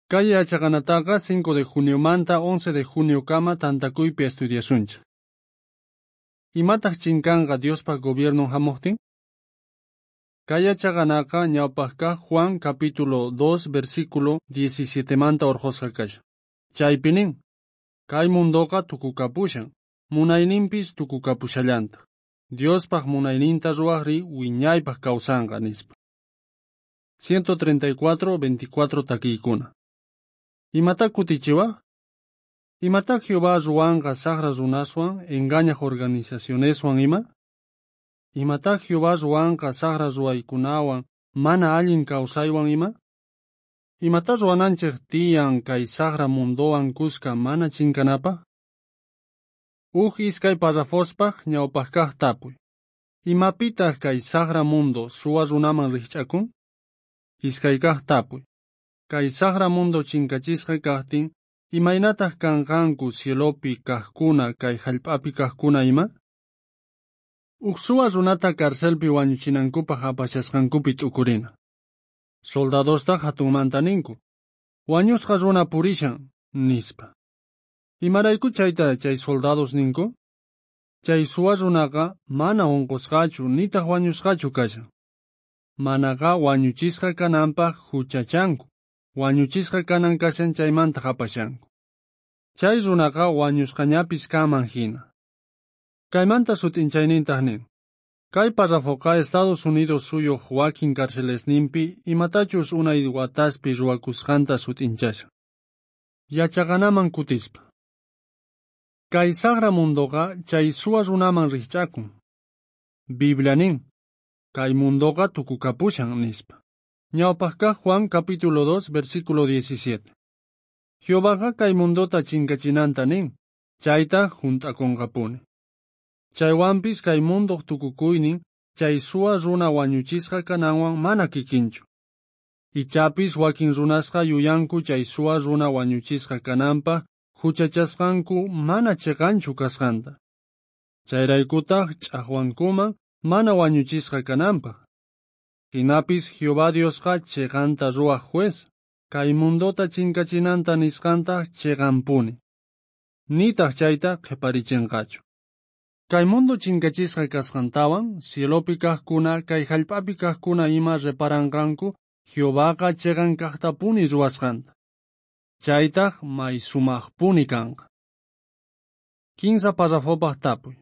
Kay yachaqanataqa 5 de juniomanta 11 de juniokama tantakuypi estudiasunchej. Imataq chinkanqa Diospa gobiernon hamuqtin? Kay yachaqanaqa ñawpaq kaq Juan capítulo 2 versículo 17 manta urqhusqa kashan. Chaypi nin, kay mundoqa tukukapushan, munayninpis tukukapushallantaq. Diospaq munayninta ruwaqri wiñaypaq kawsanqa nispa. 134, 24 takiykuna. Imata kutichiwaq? Imata Jehová ruwanqa saqra runaswan engañaq organizacioneswan ima? Imata Jehová ruwanqa saqra ruwaykunawan mana allin kawsaywan ima? Imata ruwananchik tiyan kay saqra mundowan kuska mana chinkanapaq? Uj iskay parrafospaq ñawpaq kaq tapuy. Imapitaq kay saqra mundo suwa runaman rikch'akun? Iskay kaq tapuy. Kay saqra mundo chinkachisqa kaqtin, imaynataq kanqanku cielopi kaqkuna kay hallp'api kaqkuna ima? Uj suwa runata carcelpi wañuchinankupaq apashasqankupi t'ukurina. Soldadostaq hatunmanta ninku, wañusqa runa purishan, nispa. Imarayku chayta chay soldados ninku? Chay suwa runaqa mana unqusqachu nitaq wañusqachu kashan. Manaqa wañuchisqa kananpaq huchachanku, wañuchisqa kanan kashan chaymanta apashanku. Chay runaqa wañusqañapis kanman hina. Kaymanta sut'inchaynintaq nin, kay parrafoqa Estados Unidos suyuq wakin carcelesninpi imatachus unay wataspi ruwakusqanta sut'inchashan. Yachaqanaman kutispa. Kay saqra mundoqa chay suwa runaman rikch'akun. Biblia nin, kay mundoqa tukukapushan nispa. Ñawpaq kaq Juan capítulo 2 versículo 17. Jehovaqa kay mundota chinkachinanta nin, chaytaq hunt'akunqapuni. Chaywanpis kay mundoq tukukuynin chay suwa runa wañuchisqa kananwan mana kikinchu. Ichapis wakin runasqa yuyanku chay suwa runa wañuchisqa kananpaq huchachasqanku mana chiqanchu kasqanta. Chayraykutaq ch'aqwankuman mana wañuchisqa kananpaq. Hinapis Jehová Diosqa chiqanta ruwaq juez, kay mundota chinkachinanta nisqantaq chiqanpuni. Nitaq chayta qhiparichinqachu. Kay mundo chinkachisqa kasqantawan, cielopi kaqkuna, kay hallp'api kaqkuna ima reparanqanku Jehovaqa chiqan kaqtapuni ruwasqanta. Chaytaq may sumaqpuni kanqa. 15 parrafopaq tapuy.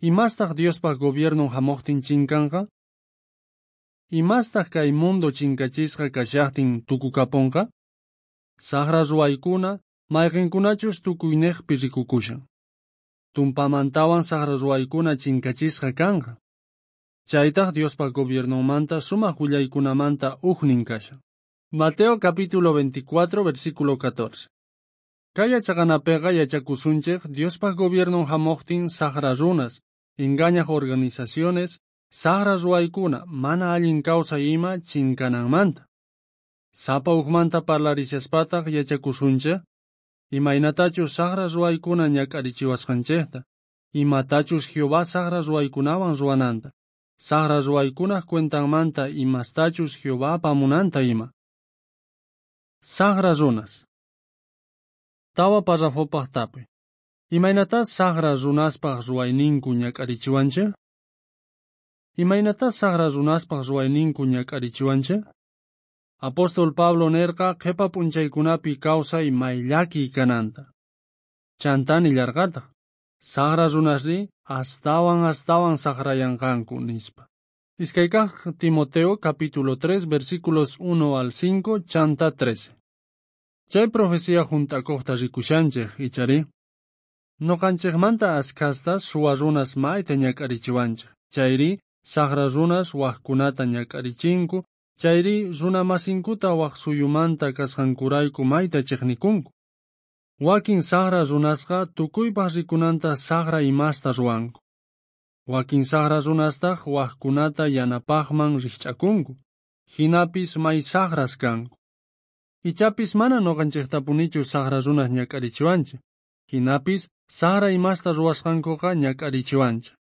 Imastaq Diospaq gobiernon hamuqtin chinkanqa? Imastaq kay mundo chinkachisqa kashaqtin tukukapunqa? Saqra ruwaykuna mayqinkunachus tukuyniqpi rikukushan. Tumpamantawan saqra ruwaykuna chinkachisqa kanqa. Chaytaq Diospaq gobiernonmanta sumaq willaykunamanta ujnin kashan. Mateo capítulo 24 versículo 14. Kay yachaqanapiqa yachakusunchik Diospaq gobiernon hamuqtin saqra runas, engañaq organizaciones, saqra ruwaykuna mana allin kawsay ima chinkananmanta. Sapa ujmanta parlarishaspataj yachakusunchik imaynatachus saqra ruwaykuna ñak'arichiwasqanchikta, imatachus Jehová saqra ruwaykunawan ruwananta, saqra ruwaykunaq cuentanmanta imastachus Jehová apamunanta ima. Saqra runas. Tawa parrafopaq tapuy. Imaynatá saqra runaspaq ruwayninku ñak'arichiwanchik? Imaynatá saqra runaspaq ruwayninku ñak'arichiwanchik? Apóstol Pablo nerqa qhipa p'unchaykunapi kawsay may llakiy kananta. Chantá nillarqataq, saqra runasri astawan astawan saqrayanqanku nispa. Iskay kaq Timoteo capítulo 3 versículos 1 al 5 chanta 13. Chay profecía hunt'akuqta rikushanchik ichari. Nuqanchikmanta ashkhasta suwa runas mayta ñak'arichiwanchik. Chayri saqra runas waqkunata ñak'arichinku, chayri runa masinkuta waq suyumanta kasqankurayku mayta chiqnikunku. Wakin saqra runasqa tukuypaq rikunanta saqra imasta ruwanku. Wakin saqra runastaq waqkunata yanapaqman rikch'akunku. Hinapis may saqras kanku. Ichapis mana nuqanchiktapunichu saqra runas ñak'arichiwanchik. Hinapis saqra imasta ruwasqankuqa ñak'arichiwanchik.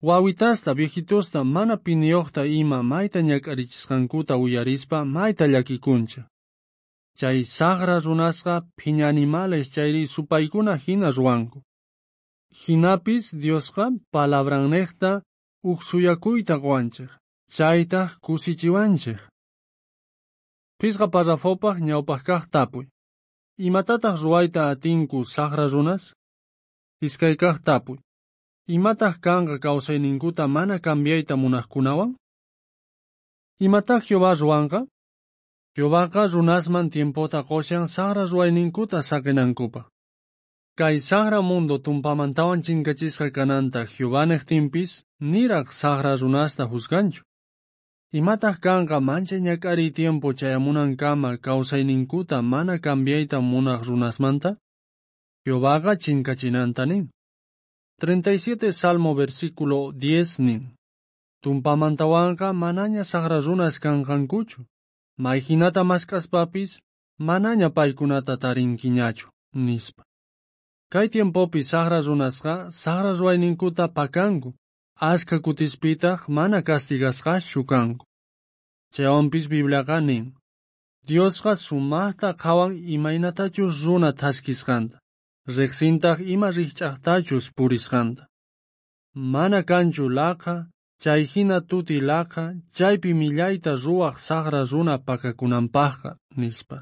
Wawitasta, viejitosta, mana piniyuqta ima mayta ñak'arichisqankuta uyarispa mayta llakikunchik. Chay sajra runasqa phiña animales chayri supaykuna hina ruwanku. Jinapis Diosqa palabrannejta uj suyakuyta qowanchej, chaytaj kusichiwanchej. Phisqa parrafopaj ñawpaj kaj tapuy. Imatataq ruwayta atinku sajra runas? Iskay kaj tapuy. Imataq kanqa kawsayninkuta mana cambiayta munaqkunawan? Imataq Jehová ruwanqa? Jehovaqa runasman tiempota qoshan sajra ruwayninkuta saqinankupaq. Kay sajra mundo tumpamantawan chinkachisqa kananta Jehová nejtinpis niraq sajra runasta juzganchu. Imataq kanqa manchay ñak'ariy tiempo chayamunankama kawsayninkuta mana cambiayta munaq runasmanta? Jehovaqa chinkachinanta nin. 37 Salmo versículo 10 nin. Tumpamantawanqa manaña sajra runas kanqankuchu. Mayhinata mask'aspapis manaña paykunata tarinkiñachu, nispa. Kay tiempopi sajra runasqa sajra ruwayninkuta pakanku, ashka kutispitaq mana castigasqaschu kanku. Chaywanpis Bibliaqa nin, Diosqa sumaqta qhawan imaynatachus runa thaskisqanta, riqsintaq ima rikch'aqtachus purisqanta. Mana kanchu laqha, chay hina tuti laqha, chaypi millayta ruwaq sajra runa pakakunanpaqqa, nispa.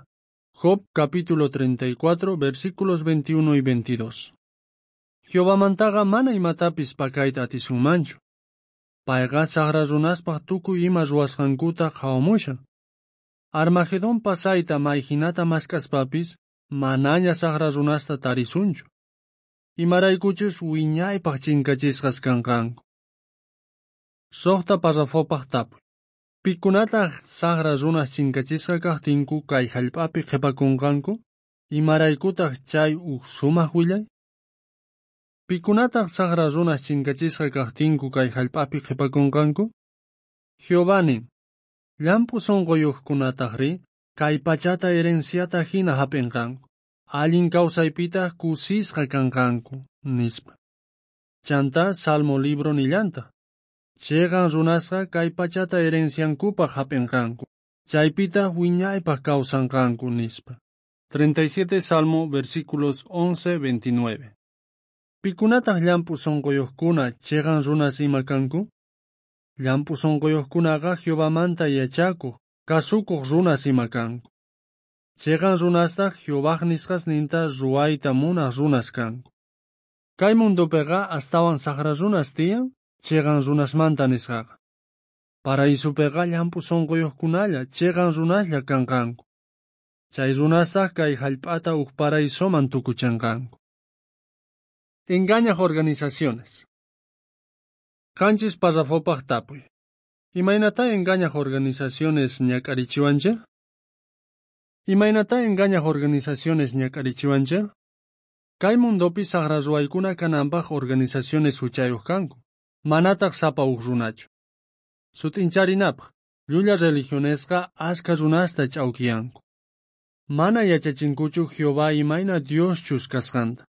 Job capítulo 34, versículos 21 y 22. Jehovamantaqa mana imatapis pakayta atisunmanchu. Payqa sajra runaspaq tukuy ima ruwasqankuta qhawamushan. Armagedón pasayta mayhinata mask'aspapis manaña sajra runasta tarisunchu. Imaraykuchus wiñaypaq chinkachisqas kanqanku. Suqta parrafopaq tapuy. Pikunataq sajra runas chinkachisqa kaqtinku kay hallp'api qhipakunqanku? Imaraykutaq chay uj sumaq willay? Pikunataq sajra runas chinkachisqa kaqtinku kay hallp'api qhipakunqanku? Jehová nin, llamp'u sunquyuqkunatajri kay pachata herenciata hina hap'inqanku, allin kawsaypitaq kusisqa kanqanku, nispa. Chanta Salmo libro nillantaq, chiqan runasqa kay pachata herenciankupaq hap'inqanku, chaypitaq wiñaypaq kawsanqanku, nispa. 37 Salmo versículos 11, 29. Pikunataq llamp'u sunquyuqkuna chiqan runas ima kanku? Llamp'u sunquyuqkunaqa Jehovamanta yachakuq, kasukuq runas ima kanku. Chiqan runastaq Jehovaj nisqasninta ruwayta munaq runas kanku. Kay mundupiqa astawan sajra runas tiyan, chiqan runasmanta nisqaqa. Paraisupiqa llamp'u sunquyuqkunalla chiqan runaslla kanqanku. Chay runastaq kay hallp'ata uj paraisoman tukuchanqanku. Engañaq organizaciones. Qanchis parrafopaq tapuy. Imaynata engañaq organizaciones ñak'arichiwanchej? Imaynata engañaq organizaciones ñak'arichiwanchej? Kay mundopi sajra ruwaykuna kananpaq organizaciones huchayuq kanku, manataq sapa uj runachu. Sut'incharinapaq, llulla religionesqa ashka runasta ch'awkiyanku. Mana yachachinkuchu Jehová imayna Dioschus kasqanta.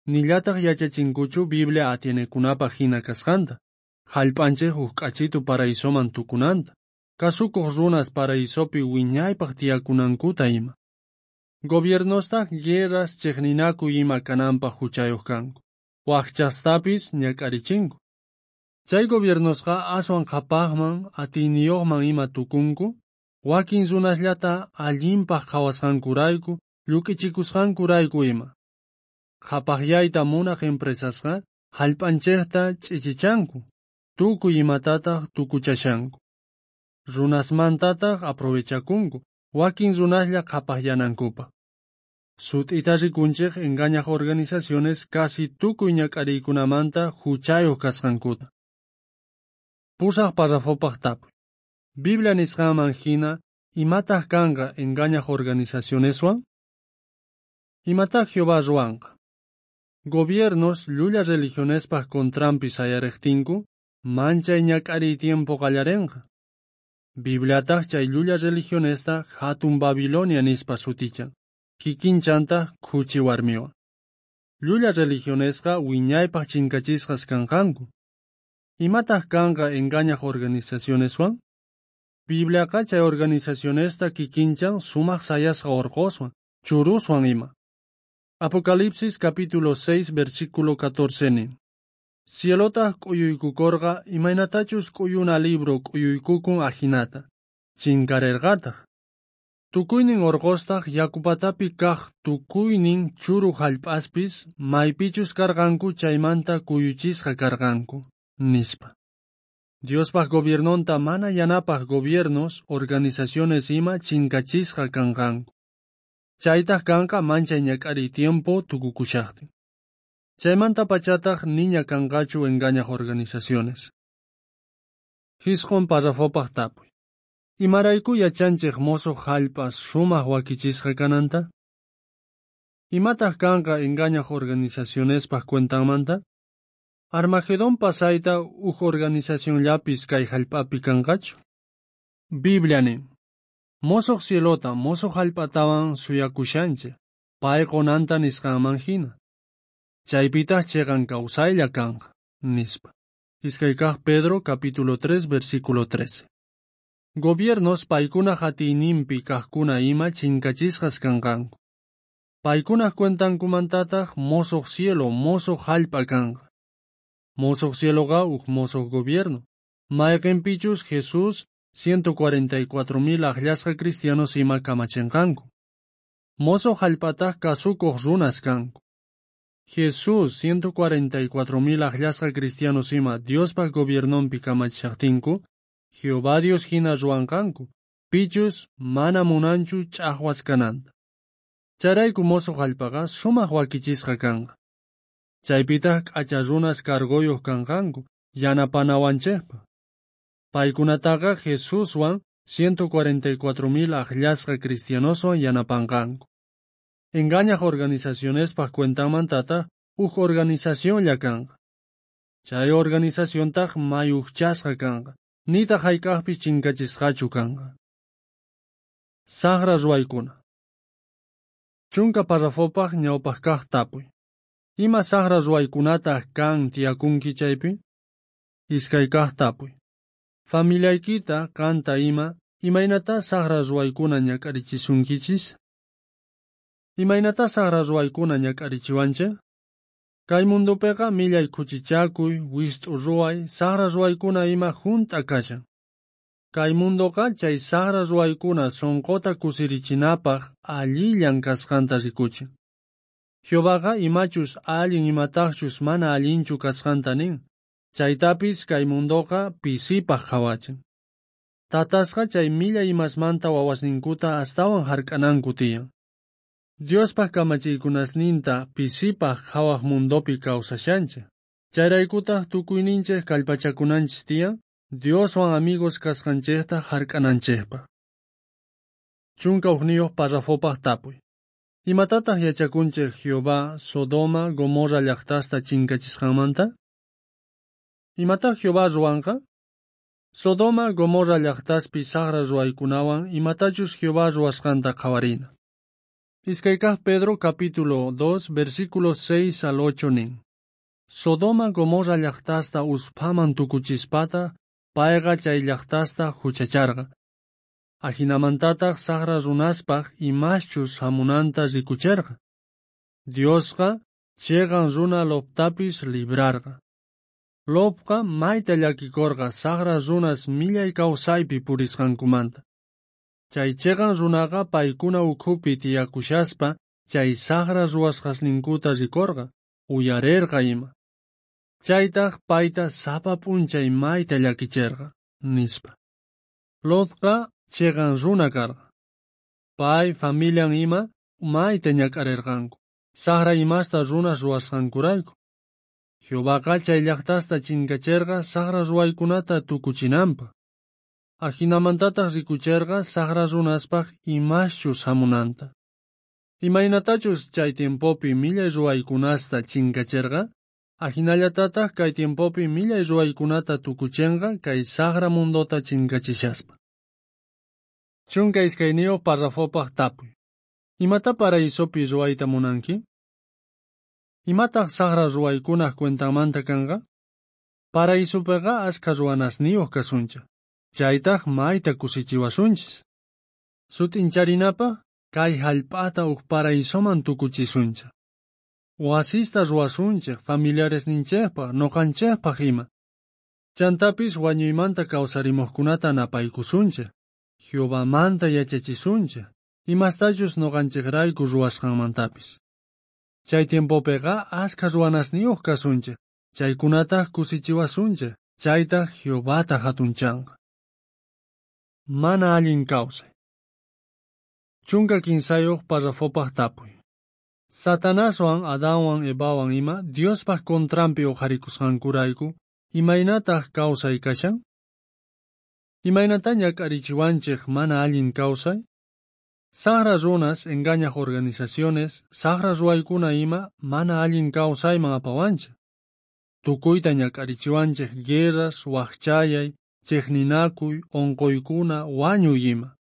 Nillataq yachachinkuchu Biblia atienekunapaq hina kasqanta, hallp'anchej uj k'achitu paraisoman tukunanta, kasukuq runas paraisopi wiñaypaq tiyakunankuta ima. Gobiernostaq guerras chiqninakuy ima kananpaq huchayuq kanku, waqchastapis ñak'arichinku. Chay gobiernosqa aswan qhapaqman atiyniyuqman ima tukunku, wakin runasllata allinpaq qhawasqankurayku, lluk'ichikusqankurayku ima. Qhapaqyayta munaq empresasqa hallp'anchejta ch'ichichanku, tukuy imatataq tukuchashanku. Runasmantataq aprovechakunku, wakin runaslla qhapaqyanankupaq. Sut'ita rikunchej engañaq organizaciones casi tukuy ñak'ariykunamanta huchayuq kasqankuta. Pusaq parrafopaq tapuy. Biblia nisqanman hina, imataq kanqa engañaq organizacioneswan? Imataq Jehová ruwanqa? Gobiernos llulla religionespaq contranpi sayariqtinku, manchay ñak'ariy tiempo qallarinqa. Bibliataq chay llulla religionesta hatun Babilonia nispa sutichan, kikinchantaq khuchi warmiwan. Llulla religionesqa wiñaypaq chinkachisqas kanqanku. Imataq kanqa engañaq organizacioneswan? Bibliaqa chay organizacionesta kikinchan sumaq sayasqa orqoswan, churuswan ima. Apocalipsis capítulo 6 versículo 14 nin. Cielotaq k'uyuykukorqa imaynatachus k'uyuna libro k'uyuykukun ajinata, chinkarerqataq. Tukuynin orqostaq yakupatapi kaq tukuynin churu jallp'aspis maypichus karqanku chaymanta kuyuchisqa karqanku, nispa. Diospaq gobiernonta mana yanapaq gobiernos, organizaciones ima chinkachisqa kanqanku. Chaytaq kanqa manchay ñak'ariy tiempo tukukushaqtin. Chaymanta pachataq niña kanqachu engañaq organizaciones. Jisqon parrafopaq tapuy. Imarayku yachanchik mosoq jallp'a sumaq wakichisqa kananta? Imataq kanqa engañaq organizacionespaq cuentanmanta? Armagedón pasayta uj organizacionllapis kay jallp'api kanqachu? Biblia nin. Mosoq cielota, mosoq jallp'atawan suyakushanchik, pay qonanta nisqanman hina. Chaypitaq chiqan kawsaylla kanqa, nispa. Iskay kaq Pedro capítulo 3 versículo 13. Gobiernos paykunaj atiyninpi kaqkuna ima chinkachisqas kanqanku. Paykunaj cuentankumantataq mosoq cielo, mosoq jallp'a kanqa. Mosoq cieloqa uj mosoq gobierno. Mayqinpichus Jesús 144.000 aqllasqa cristianos ima kamachinqanku. Mosoq jallp'ataq kasukuq runas kanku. Jesús 144.000 aqllasqa cristianos ima Diospaq gobiernonpi kamachishaqtinku, Jehová Dios hina ruwanqanku, pichus mana munanchu ch'aqwas kananta. Chayrayku mosoq jallp'aqa sumaq wakichisqa kanqa. Chaypitaq k'acha runas cargoyuq kanqanku, yanapanawanchikpaq. Paykunataqa Jesuswan 144.000 aqllasqa cristianoswan yanapanqanku. Engañaq organizacionespaq cuentanmantataq uj organizacionlla kanqa. Chay organizaciontaq may ujchasqa kanqa, nitaq hayk'aqpis chinkachisqachu kanqa. Saqra ruwaykuna. Chunka parrafopaq ñawpaq kaq tapuy. Ima saqra ruwaykunataq kan tiyakunki chaypi? Iskay kaq tapuy. Familiaykita qanta ima, imaynatá saqra ruwaykuna ñak'arichisunkichis? Imaynatá saqra ruwaykuna ñak'arichiwanchik? Kay mundopiqa millay khuchichakuy, wist'u ruway, saqra ruwaykuna ima junt'a kashan. Kay mundoqa chay saqra ruwaykuna sunquta kusirichinapaq allillan kasqanta rikuchin. Jehovaqa imachus allin imataqchus mana allinchu kasqanta nin. Chaytapis kay mundoqa pisipaq qhawachin. Tatasqa chay millay imasmanta wawasninkuta astawan hark'ananku tiyan. Diospaq kamachiykunasninta pisipaq qhawaq mundopi kawsashanchik. Chayraykutaq tukuyninchik kallpachakunanchis tiyan, Dioswan amigos kasqanchikta hark'ananchikpaq. 11 parrafopaq tapuy. Imatataq yachakunchik Jehová Sodoma, Gomorra llaqtasta chinkachisqanmanta? Imataq Jehová ruwanqa? Sodoma, Gomorra llaqtaspi saqra ruwaykunawan imatachus Jehová ruwasqanta qhawarina. Iskay kaq Pedro capítulo 2 versículos 6 al 8 nin. Sodoma, Gomorra llaqtasta usphaman tukuchispata, payqa chay llaqtasta huchacharqa. Ajinamantataq saqra runaspaq imaschus hamunanta rikucherqa. Diosqa chiqan runa Loptapis librarqa. Lopqa mayta llakikorqa saqra runas millay kawsaypi purisqankumanta. Chay chiqan runaqa paykuna ukhupi tiyakushaspa chay saqra ruwasqasninkuta rikorqa, uyarerqa ima. Chaytaq payta sapa p'unchay mayta llakicherqa, nispa. Lotqa chiqan runa karqa. Pay, familian ima mayta ñak'arirqanku, saqra imasta runas ruwasqankurayku. Jehovaqa chay llaqtasta chinkacherqa saqra ruwaykunata tukuchinanpaq. Ajinamantataq rikucherqa saqra runaspaq imaschus hamunanta. Imaynatachus chay tiempopi millay ruwaykunasta chinkacherqa, ajinallatataq kay tiempopi millay ruwaykunata tukuchenqa kay saqra mundota chinkachishaspa. 12 parrafopaq tapuy. Imata paraisopi ruwayta munanki? Imataq saqra ruwaykunaq cuentanmanta kanqa? Paraisupiqa ashkha ruwanasniyuq kasunchik. Chaytaj mayta kusichiwasunchis. Sut'incharinapaj kay jallp'ata uj paraisoman tukuchisunchej. Wasista ruwasunchej familiaresninchejpaj noqanchejpaj ima. Chantapis wañuymanta kawsarimuqkunata napaykusunchej, Jehovamanta yachachisunchej, imastachus noqanchejrayku ruwasqanmantapis. Chay tiempopiqa askha ruwanasniyuq kasunchej, chaykunataj kusichiwasunchej, chaytaj Jehovata hatunchanqa. Mana allin kawsay. 13 parrafopaj tapuy. Satanaswan Adanwan Evawan ima Diospaj contranpi uqharikusqankurayku, imaynataj kawsay kashan? Imaynata ñak'arichiwanchej mana allin kawsay? Saqra runas engañaj organizaciones, saqra ruwaykuna ima mana allin kawsayman apawanchej. Tukuyta ñak'arichiwanchej guerras, waqchayay, chiqninakuy, unquykuna, wañuy ima.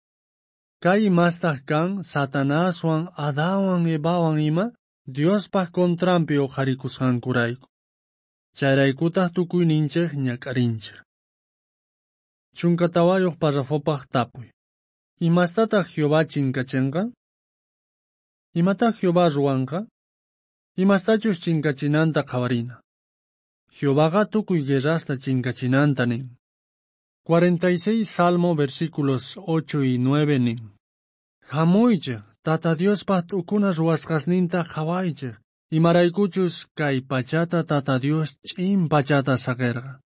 Kay imastaq kan Satanaswan, Adanwan, Evawan ima Diospaj contranpi uqharikusqankurayku. Chayraykutaq tukuyninchej ñak'arinchej. 14 parrafopaj tapuy. Imastataq Jehová chinkachinqa? Imataq Jehová ruwanqa? Imastachus chinkachinanta qhawarina. Jehovaqa tukuy guerrasta chinkachinanta nin. 46 Salmo versículos 8 y 9 nin. Hamuychej, Tata Diospaj t'ukuna ruwasqasninta qhawaychej, imaraykuchus kay pachata Tata Dios ch'in pachata saqerqa.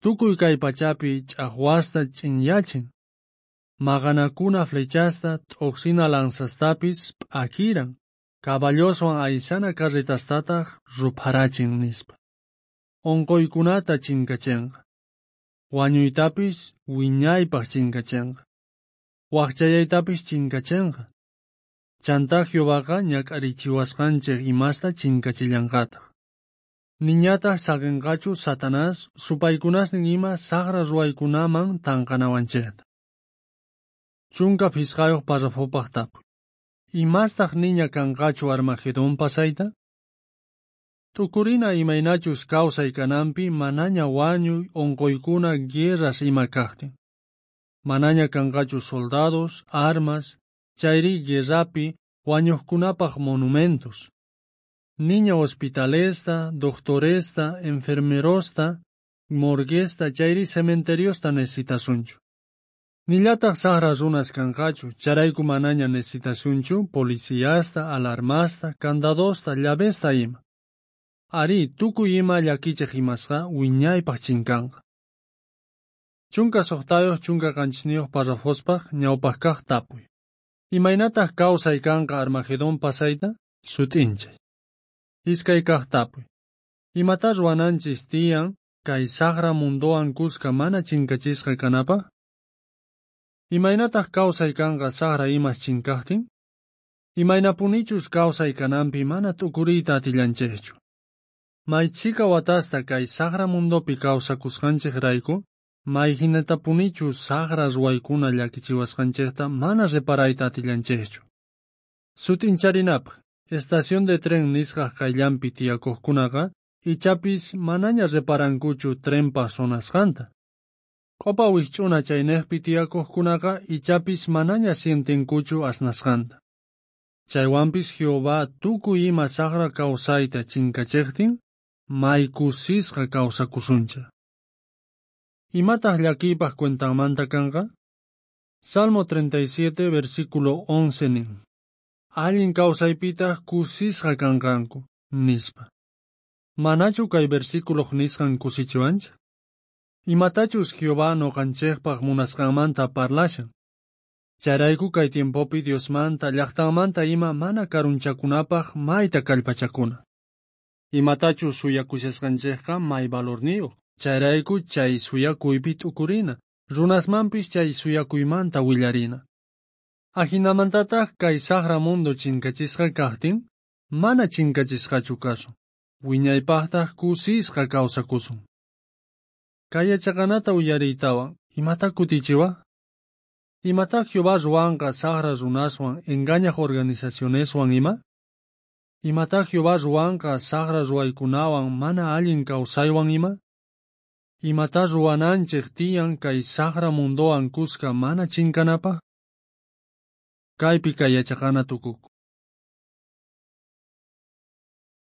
Tukuy kay pachapi ch'aqwasta ch'inyachin. Maqanakuna flechasta t'uqsina lanzastapis p'akiran, caballoswan aysana carretastataq rupharachin nispa. Unquykunata chinkachinqa. Wañuytapis wiñaypaj chinkachinqa. Waqchayaytapis chinkachinqa. Chantá Jehovaqa ñak'arichiwasqanchej imasta chinkachillanqataq. Niñataq saqinqachu Satanás supaykunasnin ima saqra ruwaykunaman tanqanawanchejta. 15 parrafopaj tapuy. Imastaq niña kanqachu Armagedón pasayta? T'ukurina imaynachus kawsay kananpi manaña wañuy, unquykuna, guerras ima kaqtin. Manaña kanqachu soldados, armas, chayri guerrapi wañuqkunapaj monumentos. Niña hospitalesta, doctoresta, enfermerosta, morguesta, chayri cementeriosta necesitasunchu. Nillataq saqra runas kanqachu, chayrayku manaña necesitasunchu policiasta, alarmasta, candadosta, llavesta ima. Arí, tukuy ima llakichej imasqa wiñaypaj chinkanqa. 16 17 parrafospaj ñawpaj kaq tapuy. Imaynataq kawsay kanqa Armagedón pasayta? Sut'inchay. Iskay kaq tapuy. Imata ruwananchis tiyan kay saqra mundowan kuska mana chinkachisqa kanapaj? Imaynataq kawsay kanqa saqra imas chinkaqtin? Imaynapunichus kawsay kananpi mana t'ukuriyta atillanchejchu. Maychika watasta kay saqra mundopi kawsakusqanchejrayku, mayhinatapunichus saqra ruwaykuna llakichiwasqanchejta mana reparayta atillanchejchu. Sut'incharinapaj, estación de tren nisqaj qayllanpi tiyakuqkunaqa ichapis manaña reparankuchu trenpa sonasqanta. Q'upa wikch'una chaynejpi tiyakuqkunaqa ichapis manaña sientenkuchu asnasqanta. Chaywanpis Jehová tukuy ima saqra kawsayta chinkachejtin, may kusisqa kawsakusunchej. Imataq llakiypaj cuentanmanta kanqa? Salmo 37, versículo 11 nin. Allin kawsaypitaq kusisqa kanqanku, nispa. Manachu kay versículoq nisqan kusichiwanchej? Imatachus Jehová noqanchejpaj munasqanmanta parlashan. Chayrayku kay tiempopi Diosmanta, llaqtanmanta ima mana karunchakunapaj mayta kallpachakuna. Imatachus suyakushasqanchejqa may valorniyuq. Chayrayku chay suyakuypi t'ukurina, runasmanpis chay suyakuymanta willarina. Ajinamantataq kay saqra mundo chinkachisqa kaqtin, mana chinkachisqachu kasun. Wiñaypaqtaq kusisqa kawsakusun. Kay yachaqanata uyariytawan, imata kutichiwaj? Imatá Jehová ruwanqa saqra runaswan engañaj organizacioneswan ima? Imatá Jehová ruwanqa saqra ruwaykunawan mana allin kawsaywan ima? Imatá ruwananchej tiyan kay sajra mundowan khuska mana chinkanapaj? Kaypi kay yachaqana tukukun.